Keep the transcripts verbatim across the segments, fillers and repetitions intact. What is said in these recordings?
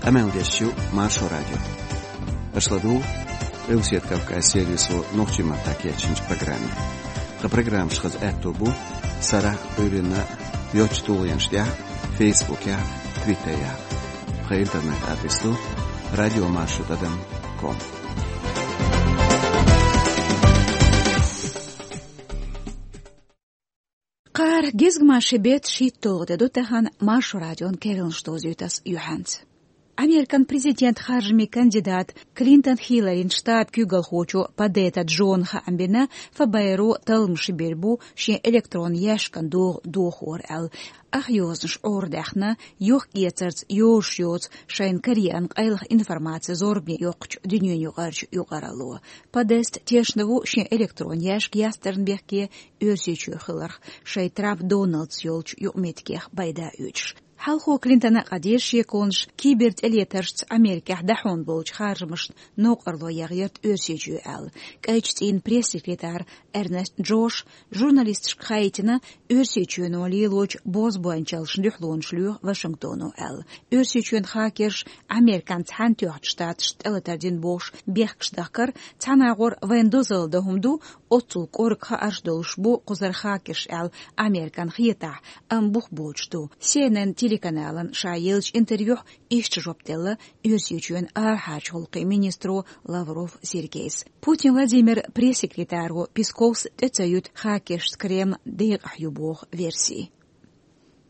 Къамел деш ю Маршо радио. Аша ладугӀу Къилбаседа Кавказан сервисо нохчийн маттахь кечйинчу программе. Тхан программаш хаза аьтто бу сарахь а, Ӏуьйранна а йоцчу тулгӀенаш тӀехь а, Фейсбукехь а, Твиттерехь а. Тхан интернет-адрес ду радиомаршо тӀадам ком. Кхара гезгмашин беттан шийтталгӀа де ду тахана, Маршо радион керланаш дозуьйту ас юьхьанца. Американ президент харжамийн кандидат Клинтон Хилларин штабан куьйгалхочо Подетта Джона хаам бина, ФБР-о талламаш бийр бу шен электронан яьшкан догӀа дохор аьлла. Ах йозанаш Ӏорадаьхна, йохк-эцарца йозуш йоцу шайна Кореан къайлаха информаци зорбане йоккхучу дуьненаюкъарчу юкъаралло. Подетта тешна ву шен электронан яьшка ястарна бехке Оьрсийчоь хиларх, шайн Трамп Доналдс йолчу юкъаметтигех пайда оьцуш. Хьалхо Клинтона къадийра шеконаш кибертӀелетаршца Америкехь дӀахьуна болчу харжамашна новкъарло яхъярт Оьрсийчоь аьлла. КӀайчу цӀийнан пресс-секретарь Эрнест Джоша журналисташка хаийтина, Оьрсийчоьно лелочу бозбуунчаллашна дуьхьалонаш лоьху Вашингтоно аьлла. Оьрсийчоьнан хакерша Американ Цхьаьнатоьхначу Штаташна тӀелатар дина бохуш бехкаш дахкар, цхьана агӀор вайна дозалла дан хӀума ду, оццул кӀорга хаарш долуш бу кхузара хакерш аьлла Американ хетахь, амма бух боцуш ду. Си Эн Эн телеканалан ша еллачу интервьюхь иштта жоп делла Оьрсийчоьнан арахьарчу гӀуллакхийн министро Лавров Сергейс. Путин Владимиран пресс-секретаро Песковс тӀе ца юьту хакершца Кремль декъахь ю боху верси.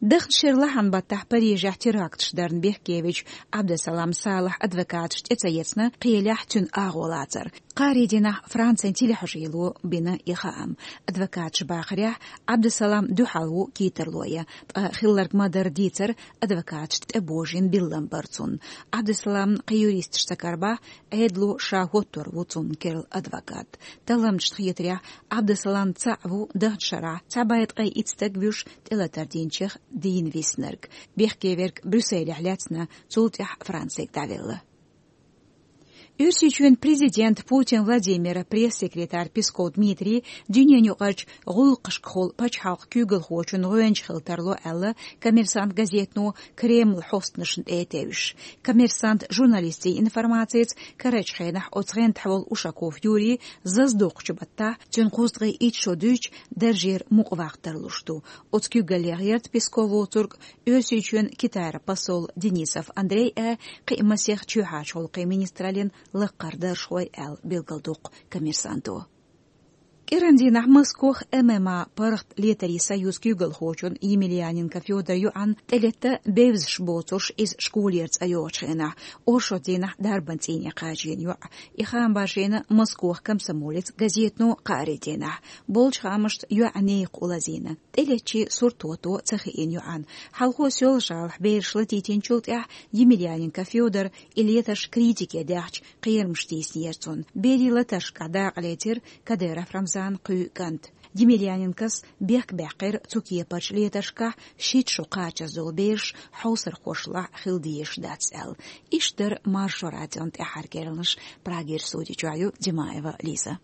Даханчу шеран лахьан баттахь Парижехь теракташ дарна бехкевечу Абдусалам Салахьан адвокаташ тӀе ца ецна кхелехь цуьнан агӀо лацар. Кхаарин дийнахь Францин телехьажийно бина и хаам. Адвокаташа бахарехь, Абдусалам дуьхьал ву кийттарло ян, ткъа хилларг ма-дарра дийцар, адвокаташна тӀебожийна биллам бара цунна. Абдусаламна кхин юристаш ца карабахь, Ӏедало ша хӀоттор ву цунна керла адвокат. Талламчашна хетарехь, Абдусалам цхьаъ ву даханчу шарахь цхьа бӀе ткъе итт стаг вуьйш тӀелатар динчех дийна виснарг. Бехке верг Брюсселехь лаьцна, цул тӀаьхьа Францига дӀавелла. Оьрсийчоьнан президент Путин Владимира пресс-секретарь Песков Дмитрий дуьненаюкъарчу гӀуллакхашкахула пачхьалкхан куьйгалхочун гӀоьнча хила тарло аьлла, «Коммерсант» газетано Кремлан хьостанашна тӀе а тевжаш. «Коммерсант» журналистийн информацица, карарчу хенахь оцу гӀентахь волу Ушаков Юрий зазадоккхучу баттахь, цуьнан кхузткъе итт шо дуьзча, даржера мукъаваккха тарлуш ду. Оцу куьйгаллех гӀерта Песков воцург Оьрсийчоьнан Китайра посол Денисов Андрей а, кхин а масех чоьхьарчу гӀуллакхийн министраллин лаккхара даржхой аьлла билгалдоккху «Коммерсанто». КӀиран дийнахь Москох ММА паргӀат летарийн союзан куьйгалхочун Емельяненко Фёдоран йоӀанна тӀелетта бевзаш боцурш иза школера цӀа йогӀучу хенахь. Оршот дийнахь дарбан цӀийне кхачийна йоӀ. И хаам башийна «Москох комсомолец» газетано кхаарин дийнахь. Болчу хаамашца йоьӀан некха улазийна. ТӀелеттачийн сурт хӀотто ца хиъна йоӀан. Хьалхо Соьлжа-ГӀалахь бераш латийтинчул тӀаьхьа Емельяненко Фёдора и летарш критике даьхча, кхерамаш тийсинера цунна. Берийн латаршкахь дакъа лецира Кадыров Рамзанан кхоь кӀант. Емельяненкос бехк баьккхира цу кепарчу летаршкахь шийтта шо кхачаза долу бераш хьовсархошлахь хила дезаш дац аьлла. Иштта дара Маршо радион тӀаьххьара керланаш. Прагера студи чохь ю Димаева Лиза.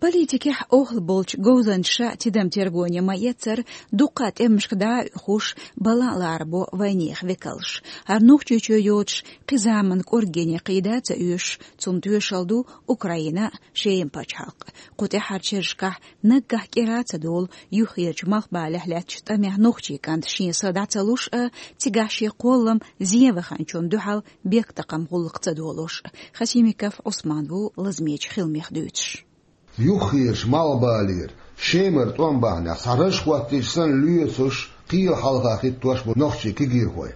Политикехь охьал болчу говзанчаша тидам тергоне ма-эццара, дуккха а тӀемашка дӀа а оьхуш, балан а ларбо вайнехан векалш. ХӀара Нохчийчоь йоцуш кхин заманан кӀоргене кхийда а ца оьшуш, цунна тоьшалла ду Украина а, Шема пачхьалкх а. Кху тӀаьххьарчу шерашкахь наггахь кӀира а ца долу юххерчу малхбалехь лаьттачу тӀамехь нохчийн кӀанта шен са дӀа ца луш а, цигахь шен кхоллам зен ваханчунна дуьхьал бехктакхаман гӀуллакх ца долуш а. Хасимиков Ӏусман ву лазамечу хиламех дуьйцуш. Юххерчу малхбалера, Шемара тӀом бахьанехь, цхьа раж хӀоттийча санна лоьцуш, кхеле хьалха хӀиттош бу нохчийн кегийрхой.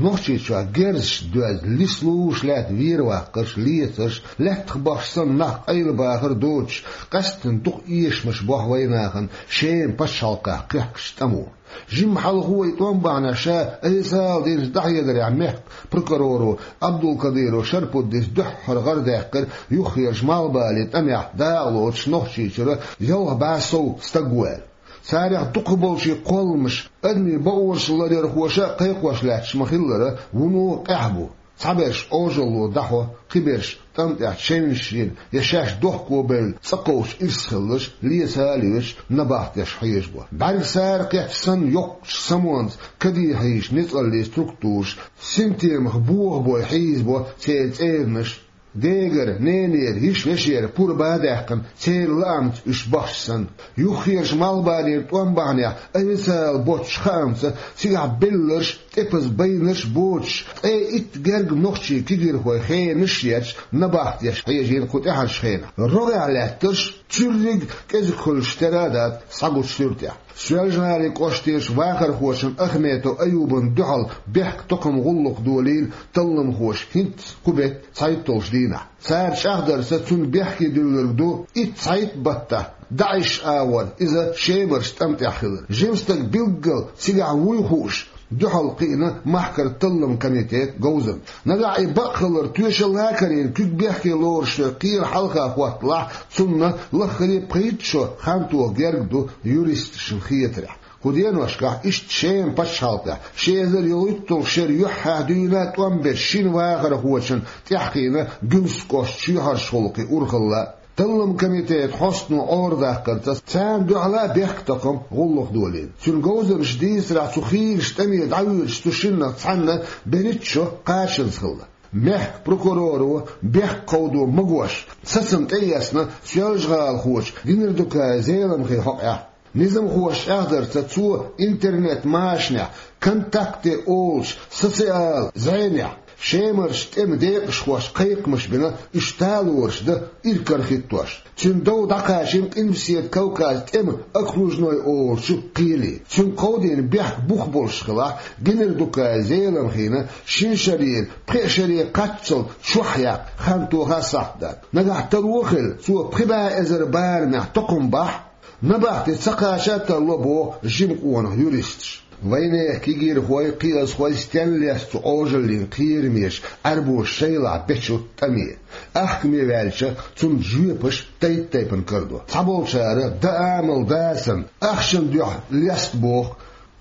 Нохчийчохь герзаш доьзна, лислуш лаьтта вер ваккхарш, лецарш, лаьттах бахча санна нах къайлабахар доцуш, къаьсттина дукха эшамаш бохьу вайнахана Шема пачхьалкхехь кхехкачу тӀамо. Жимма хьалхо и тӀом бахьанехь ша айса ала динчу дӀахьедарехь мехкан прокуроро Абдулкадыров Шарпуддис дуьххьара гӀарадаьккхира юххерчу малхбален тӀамехь дакъа лоцуш Нохчийчуьра ялх бӀе сов стаг ву аьлла. Царех дукхахболчийн кхолламаш адамийн бакъонаш ларъярхоша а кхайкхош лаьтташ ма-хиллара, вуно къаьхьа бу. Цхьаберш Ӏожалло дӀахьо, кхыберш тӀам тӀехь чевнаш йина я шаьш дохко бевлла цӀа кховчу ирс хиларш, леца а лоьцуш, набахтеш хьежабо. БӀаьргсара кхеттачу санна йоккхачу самонца каде хьийзачу ницкъаллийн структураша синтемах бохабой хьийзабо церан цӀеранаш, дегара, ненера, йиша-вешера пурба а даьккхина, церан лаамца уьш бахча санна. Юххерчу Малхбалера тӀом бахьанехь, официалан боцчу хаамца, цигахь белларш, тӀепаза байнарш боцуш, ткъе итт гергга нохчийн кегийрхойн хенаш а етташ, набахтеш хьежийна кху тӀаьхьарчу хенахь. РогӀехь лаьттарш цуьрриг кӀезиг хуьлуш тера а дац схьагучу суьртехь. Соьлжа-ГӀалин кӀоштарчу вахархочун Ахметов Аюбан дуьхьал бехктакхаман гӀуллакх долийна талламхоша хӀинцца кху беттан цхьайтталгӀачу дийнахь. Цара чӀагӀдарца, цунна бехке дуьллург ду итт цхьайтта баттахь ДАИШ агӀор иза Шемарчу тӀам тӀехь хилар. Жима стаг билггал цигахь вуй хууш, дуьхьал кхиъна махкара талламан комитетан говзанчаш. Нагахь и бакъ хилар тоьшалла а карийна куьг бехке лоруш йолу кхеран хьалха хӀотталахь, цунна лаххара а пхийтта шо хан тоха герга ду, юристашна хетарехь. Кху деношкахь иштта Шеман пачхьалкхехь ши эзар ялхитталгӀа шеран юьххьехь дуьйна тӀом бечу шина вахархочунна тӀаьхьахиъна Гуьмсан кӀоштан чоьхьарчу гӀуллакхийн урхалла. Талламан комитетан хьостано Ӏорадаккхарца, царна дуьхьал а бехктакхаман гӀуллакх долийна. Цуьнан говзанчаша дийцарехь, цу хийрачу тӀаме дӀавоьдуш цу шиннах цхьанна берхӀитта шо кхачанза хилла. Мехкан прокуроро бехк кховдо магош, сацам тӀеэцна Соьлжа-ГӀалахочу Гинардукаев Зеламхин хьокъехь. Низамхоша чӀагӀдарца, цо интернет-машанехь, «ВКонтакте» олучу социал зӀенехь, Шемарчу тӀеман декъашхошна кхайкхамаш бина, уьш талораш дан иракарахӀитта дош. Цуьнан дов дӀакхачийна Къилбаседа Кавказан тӀеман окружной олучу кхеле. Цуьнга кховдийна бехк бух болуш хилахь, Гинардукаев Зеламхина шина шарера пхеа шаре кхаччалц чохь яккха хан тоха а сахьт дац. Нагахь таро а хилла, цо пхи бӀе эзар барамехь токхам бахь, набахти ца кхача а тарло, боху жима къонах юристаша. Вайнехан кегийрхой, кхиазхой стенна лестаду Ӏожаллин кхерамаш, Ӏаьрбоша шайлахь бечу тӀаме? Ахкаме ваьлча, цунна жоьпаш тайп-тайпана карадо. Цхьаболчара дан амал дацарна, ахчана дуьхьа леста боху,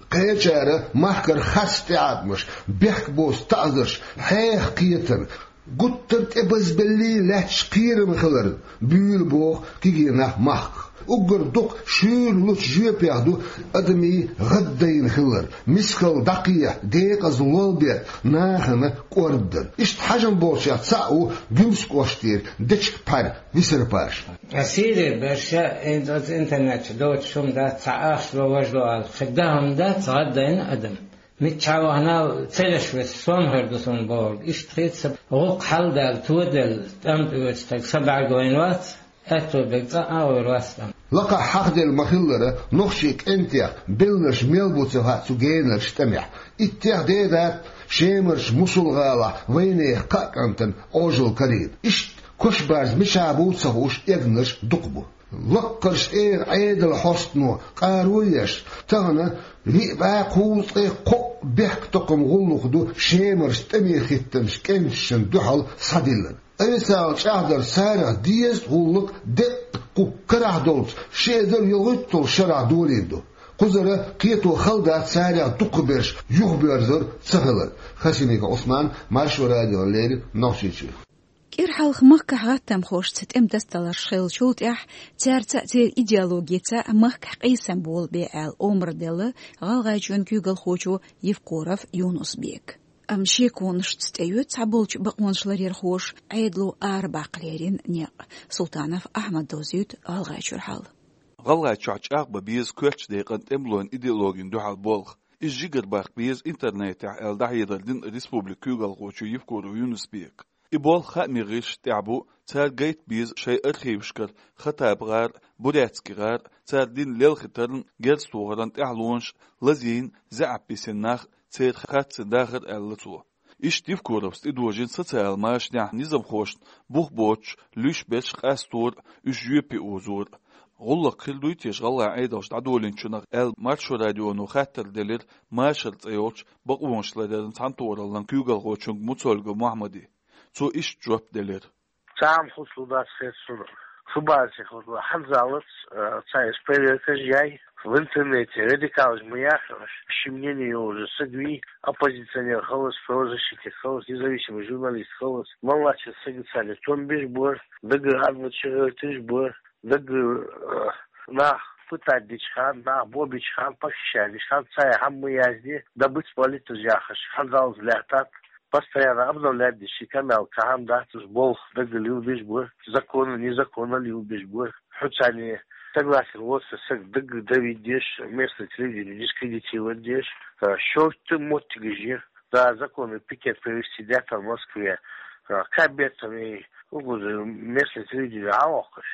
кхечара махкара харц тӀеӀаткъамаш, бехк боцу таӀзарш, хьеха кхетар, гуттар а тӀебазбеллий лаьтташ кхерам хилар буьйлу боху кегий нах махках. Уггар дукха шуьйра лучу жоьпех ду адамийн гӀаддайна хилар, мискалла дӀакхехьа, декъаза лолберг, нахана кӀордадар. Иштта хьажам болчех цхьаъ ву Гуьмсан кӀоштара Дечиг-Пхьар Висар-Паша. Ас хӀинца берш а, хӀинца оцу интернет чу доцуш хӀума дац, цхьа ахча ло, важа ло аьлла, кхин дан хӀума дац, гӀаддайна адам. Миччахьа вахана а, цераш веса, сом хир ду суна бохург. Иштта хӀинца гӀуллакх хьалдаьлла, тоделла, тӀам тӀе оьцу стаг са бӀаьрг вайна вац, аьтто берг цкъа а гӀур вац тӀам. Лакхахь хьахделла ма-хиллара, нохчийн кӀентех белларш мел бу ца хаьа цу генарчу тӀамехь. Иттех дедац Шемарчу Мусул-гӀалахь вайнехан кхаа кӀантана Ӏожалла карийна. Иштта кошбарз мичахь бу ца хууш, эгнарш дукха бу. Лаккхарчу тӀера Ӏедалан хьостано къаро а еш, тахана виъ бӀе кхузткъе кхоъ бехктакхаман гӀуллакх ду Шемарчу тӀаме хӀиттинчу кӀенташна дуьхьал схьадиллина. Официалан чӀагӀдарца, царах дезткъа гӀуллакх деккъа кху карахь долчу ши эзар ялхитталгӀачу шарахь долийна ду. Кхузара кхето хала дац царех дукхахберш юхабоьрзур ца хилар. Хасимиков Ӏусман, Маршо радиона леррина, Нохчийчуьра. КӀира хьалха махкахь гӀаттамхошца тӀеман дасталарш хиллачул тӀаьхьа, цаьрца а, церан идеологица а махкахь къийсам болабе аьлла омра делла ГӀалгӀайчоьнан куьйгалхочо Евкуров Юнус-Бека. Амма шеконашца тӀеоьцу цхьаболчу бакъонашларъярхоша Ӏедало арабаккха леррина некъ. Султанов Ахьмада дозуьйту ГӀалгӀайчуьра хьал. ГӀалгӀайчохь чӀагӀбан беза коьртачу декъана тӀемалойн идеологина дуьхьал болх. Иза жигара баккха беза интернетехь аьлла, дӀахьедар дина республикан куьйгалхочо Евкуров Юнус-Бека. И болх хаамийн гӀирсашна тӀехь бу, цара гайта беза шайн архивашкара Хаттаба гӀар а, Бурятский гӀар а, цара дина лелхийтаран, герз тохаран тӀаьхьалонаш, лазийна, заьӀап бисина нах, церан харцан дахар, аьлла цо. Иштта Евкуровс тӀедожийна социалан машанехь низамхошна бух боцуш луьйш берш къастор а, уьш жоьпе озор а. ГӀуллакх хир дуй те гӀалгӀайн Ӏедалша дӀадолийначунах аьлла, Маршо радионо хаттар делира Машар цӀе йолчу бакъонашларъяран цхьаьнатохараллин куьйгалхочуьнга Муцольгов Мохьмада. Цо иштта жоп делира. Цхьа а хӀума хуьлуш дац хета суна. Шу базе хуьлу, хьанзалц, э, цхьа эс проверкаш яй. В интернете радикалаш ма яхаш, ши мнение йолаш саг вий, оппозиционер хилар из, правозащитник хилар из, независимый журналист хилар из, мел латтача сага царна том беш бар, даггара хӀама чугӀерташ бар, даггара, э, нах пытать деча хана, нах бобеча хана, похищать деча хана, цар хӀама ма язде, добыть политаж яхаш, хӀанзалца лаьттад, постоянно обновлять деш, ший канал, цхьа хӀама дац из, болх даггара лелабеш бар, законно, незаконно лелабеш бар. Хьо царна согласен воацаш саг даггара давить деш, местный телевидени дискредитировать деш, а, шортта моттигаш я. Да, законный пикет провести даьттад Москве, а, кабетами, угуза местный телевидени хьалоаккхаш.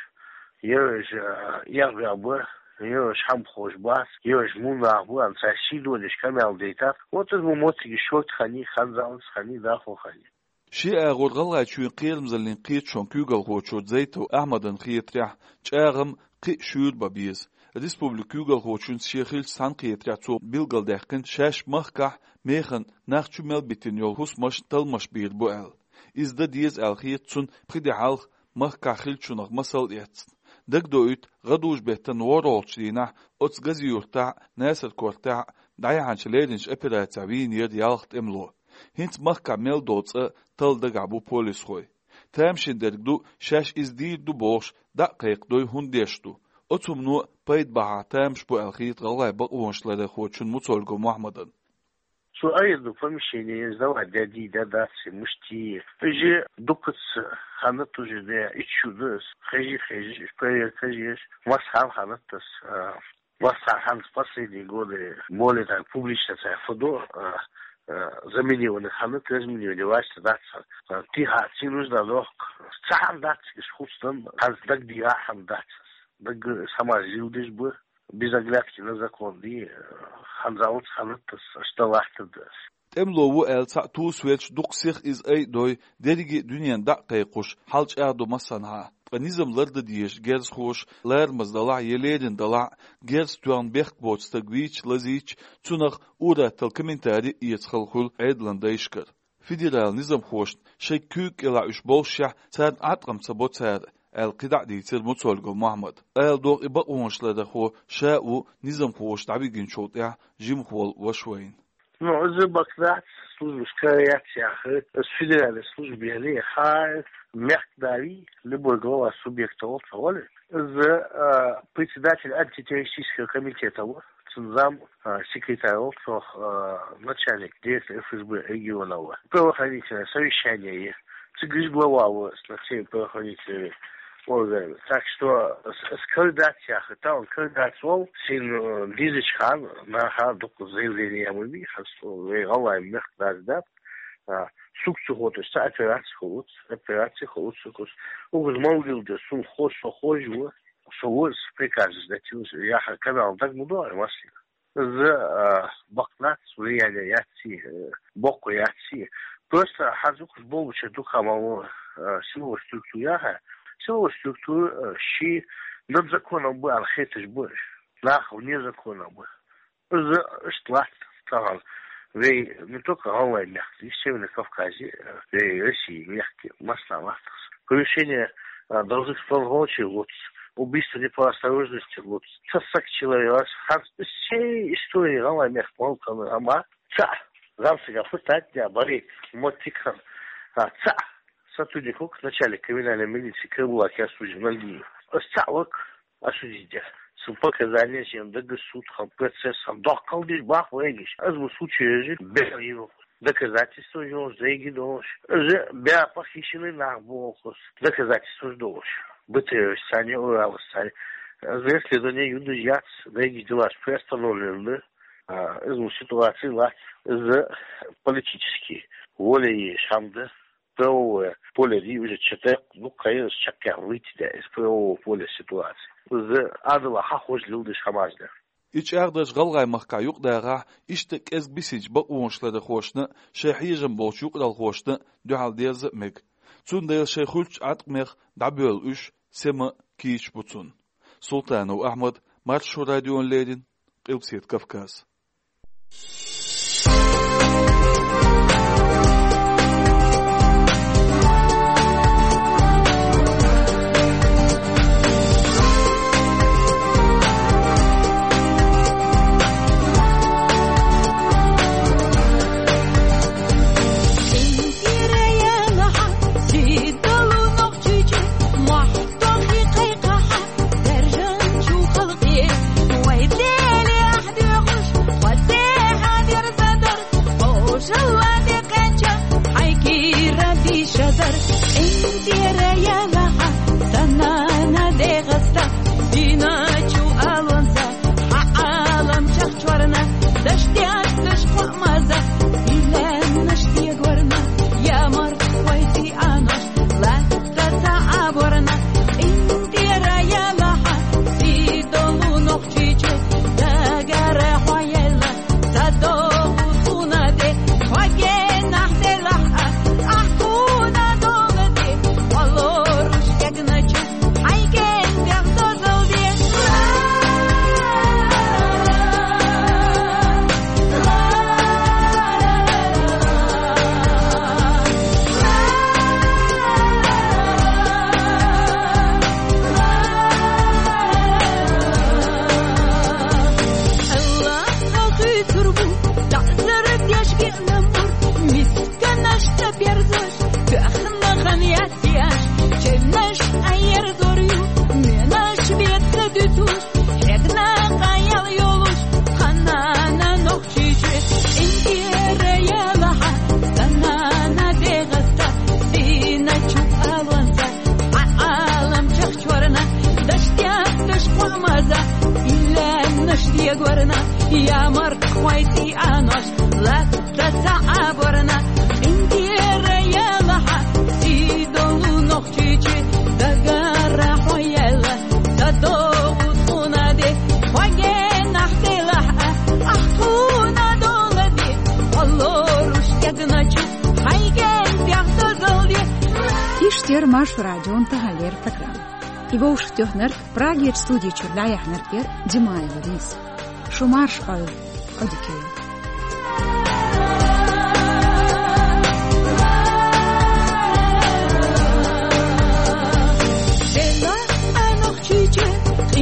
Ераш, а, эгӀабаьб, ераш хӀама ховш бац, ераш муннах ба, анцай сий додеш канал дайтад. Вот из мо моттигаш шортта хиннай, хӀанзалца хиннай, дӀахо хиннай. Ши агӀор ГӀалгӀайчоа кхерамзаллин кхеташон куьйгалхочо Зайтов Ахьмадана хетарехь, чӀагӀам кхы а шуьйра бан беза. Республикан куьйгалхочунца шен хиллача цхьаьнакхетарехь цо билгалдаьккхина, шаьш махкахь механа нах чу мел битина йола хӀусамаш талламаш бийр бу аьлла. Из дан деза аьлла хета цунна, пхи ди хьалха махкахь хиллачунах масал а эцна. Дагадоуьйту, гӀадужу-беттан ворхӀолгӀачу дийнахь оцу Гази-Юртахь а, Наьсар-Кортехь а дӀаяхьначу леринчу операцехь вийнера ялх тӀемало. ХӀинца махкахь мел долу цӀа талла дагахь бу полисхой. Тамашийна дерг ду, шаьш иза дийр ду бохуш, дӀа а кхайкхадой, хӀунда деш ду. Оцу хӀумано пайда бахьа тамаш бу аьлла хета гӀалгӀайн бакъонаш ларъярхочунна Муцольгов Мохьмадана. Цо айхьа ду помещение сдавать даьдий, дац, муьшта. Иза дуккхаза ханна тужина, иччу ду ас, хезий, хезий, проверка езаш, массахьа ханна тас, а, Васт хьан хӀанз последние годы более так публично цхьа фу ду, а, а, заминированный ханна, разминирование ваьшта дац. А, тӀехьа цхьа нужда дохку. Цхьа хӀама дац, иза хӀуцдан, хӀанз дагадеха хӀама дац. Даггара ас хӀамаш леладеш бу, без оглядки на закон ди, а, хӀанзалца ханна тас, аш дан латтар да ас. ТӀемало ву аьлла цхьаъ тосавелча дукха сиха иза айа дой, дерриге а дуьненна дӀа а кхайкхош, хьал чӀагӀдо массанхьа. Ткъа низам лардан дезаш герзахоша, ларамаза далахь а, я лерина далахь а, герз тоьхна бехк боцу стаг вийча, лазийча, цунах ур-атталла комментари а эца хала хуьлу Ӏедалан дайшкара. Федералан низамхошна шайн куьйга кӀелахь уьш боллушехь, царна Ӏаткъам ца бо цара, аьлла кхидӀа а дийцира Муцольгов Мохьмада. Ала догӀу, и бакъонаш ларъярхо ша а ву низамхоша дӀавигначул тӀаьхьа жимахволу ваша вайна. Ну, из бакъ дац, служба скорая яц яхар, из федеральная служба яхар, хьан мехкан да вий, любой глава субъекта волча гӀоле. Из, а, председатель антитеррористического комитета ву, цун зам, а, секретарь волча, а, начальник, директор ФСБ региона ву. Правоохранительное совещание е. Цигара глава ву, с всеми правоохранительными органами. Так что с-, с-, кара дац яхар, тахана кара дац волу, шен, э, дезачу хана, наха дукха заявление ма бий, хьан со вай гӀалгӀайн мехкан да дац, а, суьгу ца хӀоттош цхьа операци хуьлуц, операци хуьлуц суьгу. Угур ма вилла деза, суна хо-, со хож ву, со ву, с приказом сдать, яхар канал дага ма догӀу, массо. Из, а, бакъ дац, влияние яц, э, боккха яц. Просто хьан зукхаш боллуча дукха ма ву, а, силовой структура яха. Силовой структура, а, ши над законом бу аьлла хеташ бу. Нах вне закона бу. Из иштта латта тахана. Вай не только гӀалгӀайн мехкан, и Северный Кавказе, а, вай России мехкан, массанхьа латтахь. Превышение, а, должностных полномочий луц, убийство не по осторожности луц. Ца саг человек, хьан всей истории гӀалгӀайн мехкан ма хиллара, амма цхьаъ, зам сага пытать даь, баре, моттиг хилла, а, цхьаъ сотрудник ву-кх, начальник криминальной милиции Карабулак Ясудин Нальгиев. Ас цхьаъ ву-кх осудить даь. Цун показания шен даггара суд хилла, процесс хилла, доккхал деш бах вайгаш. Из ма случай ежи бер йина. Доказательства йолуш, зайги долуш. Из бер похищенный нах бохуш. Доказательства долуш. БТР санна, Урал санна. Из расследование юдаш яц, зайги делаш приостановлен ду. А, из ма ситуация лац. Из политический воля еш хӀама да. Правовое поле ди уже чекх, ну, конечно, чекх выйти, да, из правового поля ситуации. Из адала хьахож лилдаш хӀамаш да. И чӀагӀдарш гӀалгӀай махкахь юкъадахахь, иштта кӀезиг бисинчу бакъонаш ларъярхошна а, шайн хьежам болчу юкъаралхошна а дуьхьал дерза а мега. Цундела шайн хуьлучу Ӏаткъамех дӀабоьлла уьш сема а, кийча а бу цунна. Султанов Ахьмад, Маршо радиона леррина, Къилбаседа Кавказ. Ямар хойти анош латта ца аборна, индира ялаха, сидолу нохчичи, дагара хояла, садову тунаде, хоге нахтелаха, ахтуна долади, олоруш ягначу, хайген пяхта залди. Иштер Марш радион тахалер программа. Иго уштёхнер Прагер студия чурлая хнер кер Димаева Лиз. Шумарш ой, одикей. Дела анохчичи,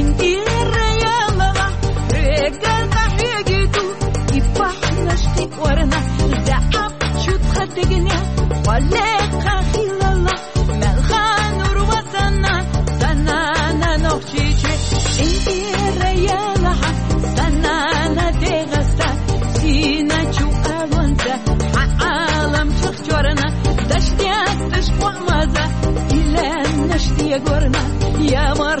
интирая мала, регал кахигиту, ипахнашти корна, да ап чут хатигне, вале кахилала, Мелхан урвасана, санана нохчичи, интира ялаха, санана дегаса, сина чу алонца, ха алам чахчорна, дашдясташ квамаза, илен наштия горна, ямар